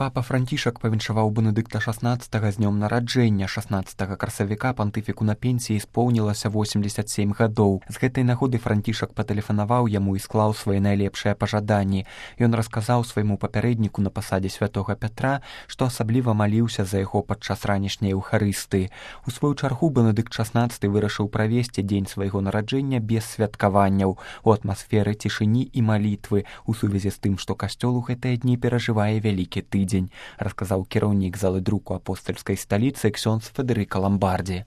Папа Францішак павіншаваў Бенедыкта XVI з днём нараджэння. 16 красавіка пантыфіку на пенсіі споўнілася 87 гадоў. З гэтай нагоды Францішак патэлефанаваў яму і склаў свае найлепшыя пажаданні. Ён расказаў свайму папярэдніку на пасадзе святога Пятра, што асабліва маліўся за яго падчас ранішняй еўхарыстыі. У сваю чаргу Бенедыкт XVI вырашыў правесці дзень свайго нараджэння без святкаванняў, у атмасферы цішыні і малітвы, у сувязі з тым, што касцёл у гэтыя дні перажывае вялікі тыдзень, расказаў кіраўнік залы друку апостальскай сталіцы ксёндз Федэрыка Ламбардзі.